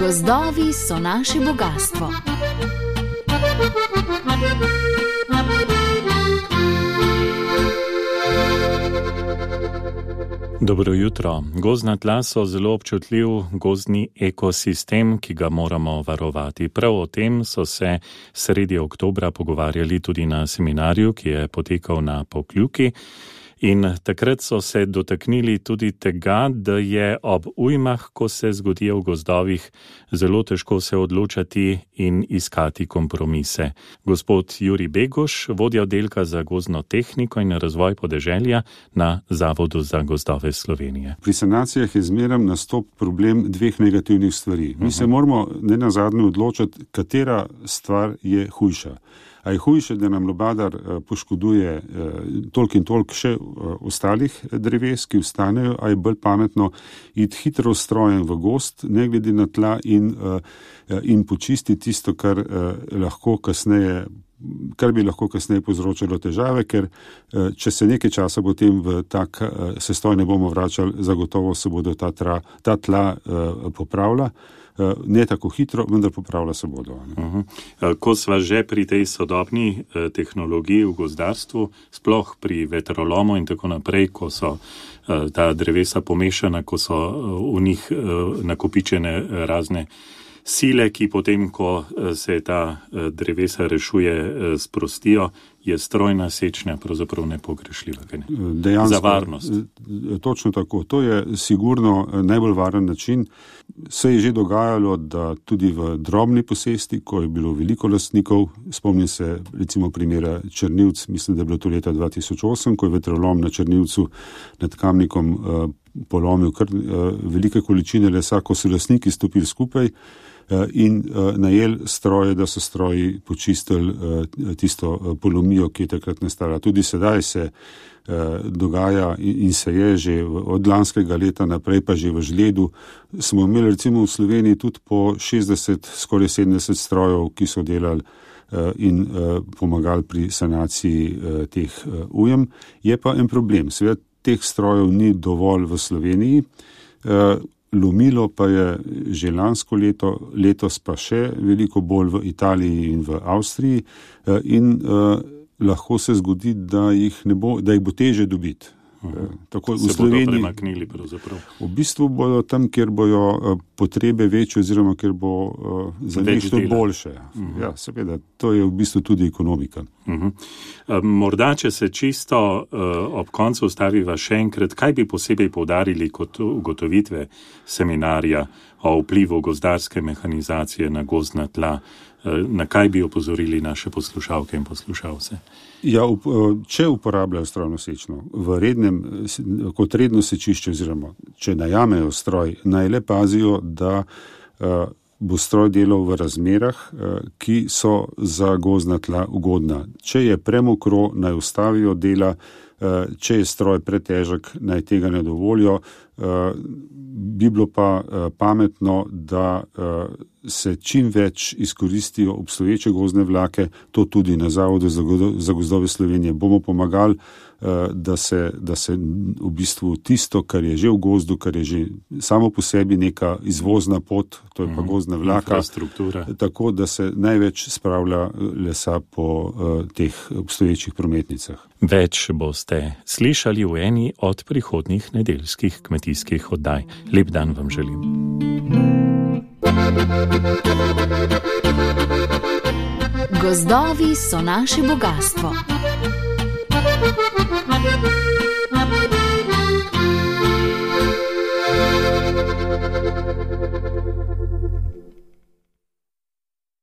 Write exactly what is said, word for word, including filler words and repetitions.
Gozdovi so naše bogastvo. Dobro jutro. Gozdna tla so zelo občutljiv gozdni ekosistem, ki ga moramo varovati. Prav o tem so se sredi oktobra pogovarjali tudi na seminarju, ki je potekal na Pokljuki. In takrat so se dotaknili tudi tega, da je ob ujmah, ko se zgodijo v gozdovih, zelo težko se odločati in iskati kompromise. Gospod Jurij Beguš, vodja oddelka za gozdno tehniko in razvoj podeželja na Zavodu za gozdove Slovenije. Pri sanacijah je zmeraj nastop problem dveh negativnih stvari. Mi se moramo nenazadnje odločiti, katera stvar je hujša. A je hujše, da nam lubadar poškoduje toliko in toliko še ostalih dreves, ki ostanejo, a je bolj pametno iti hitro strojem v gozd, ne glede na tla in, in počistiti tisto, kar lahko kasneje kar bi lahko kasneje povzročilo težave, ker če se nekaj časa potem v tak sestoj ne bomo vračali, zagotovo se bodo ta, tra, ta tla popravila. Ne tako hitro, vendar popravlja se bodo. Uh-huh. Ko sva že pri tej sodobni tehnologiji v gozdarstvu, sploh pri vetrolomu in tako naprej, ko so ta drevesa pomešana, ko so v njih nakopičene razne sile, ki potem, ko se ta drevesa rešuje, sprostijo, je strojna sečnja pravzaprav nepogrešljiva. Dejansko, za varnost. Točno tako. To je sigurno najbolj varen način. Se je že dogajalo, da tudi v drobni posesti, ko je bilo veliko lastnikov, spomnim se recimo primera Črnivc, mislim, da je bilo to leta dva tisoč osem, ko je vetrolom na Črnivcu nad Kamnikom uh, polomil kar uh, velike količine lesa, ko so lastniki stopili skupaj in uh, najel stroje, da so stroji počistili uh, tisto uh, polomijo, ki je takrat nastala. Tudi sedaj se uh, dogaja in, in se je že v, od lanskega leta naprej, pa že v žledu. Smo imeli recimo v Sloveniji tudi po šestdeset, skoraj sedemdeset strojev, ki so delali uh, in uh, pomagali pri sanaciji uh, teh uh, ujem. Je pa en problem. Seveda teh strojev ni dovolj v Sloveniji. Uh, Lomilo pa je že lansko leto, letos pa še veliko bolj v Italiji in v Avstriji in uh, lahko se zgodi, da jih, ne bo, da jih bo teže dobiti. Uh-huh. Tako se v Sloveniji, bodo premaknili pravzaprav. V bistvu bodo tam, kjer bojo uh, potrebe večje oziroma kjer bo uh, za njih to boljše. Uh-huh. Ja, seveda, to je v bistvu tudi ekonomika. Uh-huh. Morda, če se čisto uh, ob koncu ustaviva še enkrat, kaj bi posebej poudarili kot ugotovitve seminarja o vplivu gozdarske mehanizacije na gozdna tla, uh, na kaj bi opozorili naše poslušalke in poslušalce? Ja, up, če uporabljajo strojno sečno v rednem, kot redno sečišče oziroma če najamejo stroj, naj le pazijo, da uh, bo stroj delal v razmerah, ki so za gozdna tla ugodna. Če je premokro, naj ustavijo dela, če je stroj pretežek, naj tega ne dovolijo. Bi bilo pa pametno, da se čim več izkoristijo obstoječe gozdne vlake, to tudi na Zavodu za gozdove Slovenije bomo pomagali, da se, da se v bistvu tisto, kar je že v gozdu, kar je že samo po sebi neka izvozna pot, to je pa gozdna vlaka, tako da se največ spravlja lesa po uh, teh obstoječih prometnicah. Več boste slišali v eni od prihodnjih nedeljskih kmetijskih oddaj. Lep dan vam želim. Gozdovi so naše bogastvo. Thank you.